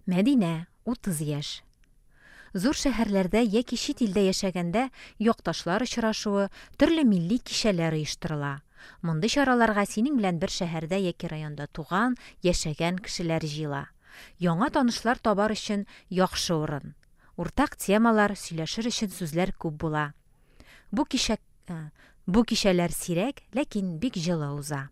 Мәдинә, 30 яшь. Зур шәһәрләрдә яки чит илдә яшәгәндә якташлар очрашуы, төрле милли кичәләр оештырыла. Мондый чараларга синең белән бер шәһәрдә яки районда туган, яшәгән кешеләр җыела. Яңа танышлар табар өчен яхшы урын. Уртак темалар, сөйләшер өчен сүзләр күп була. Бу кичә бу кичәләр сирәк, ләкин бик җылы уза.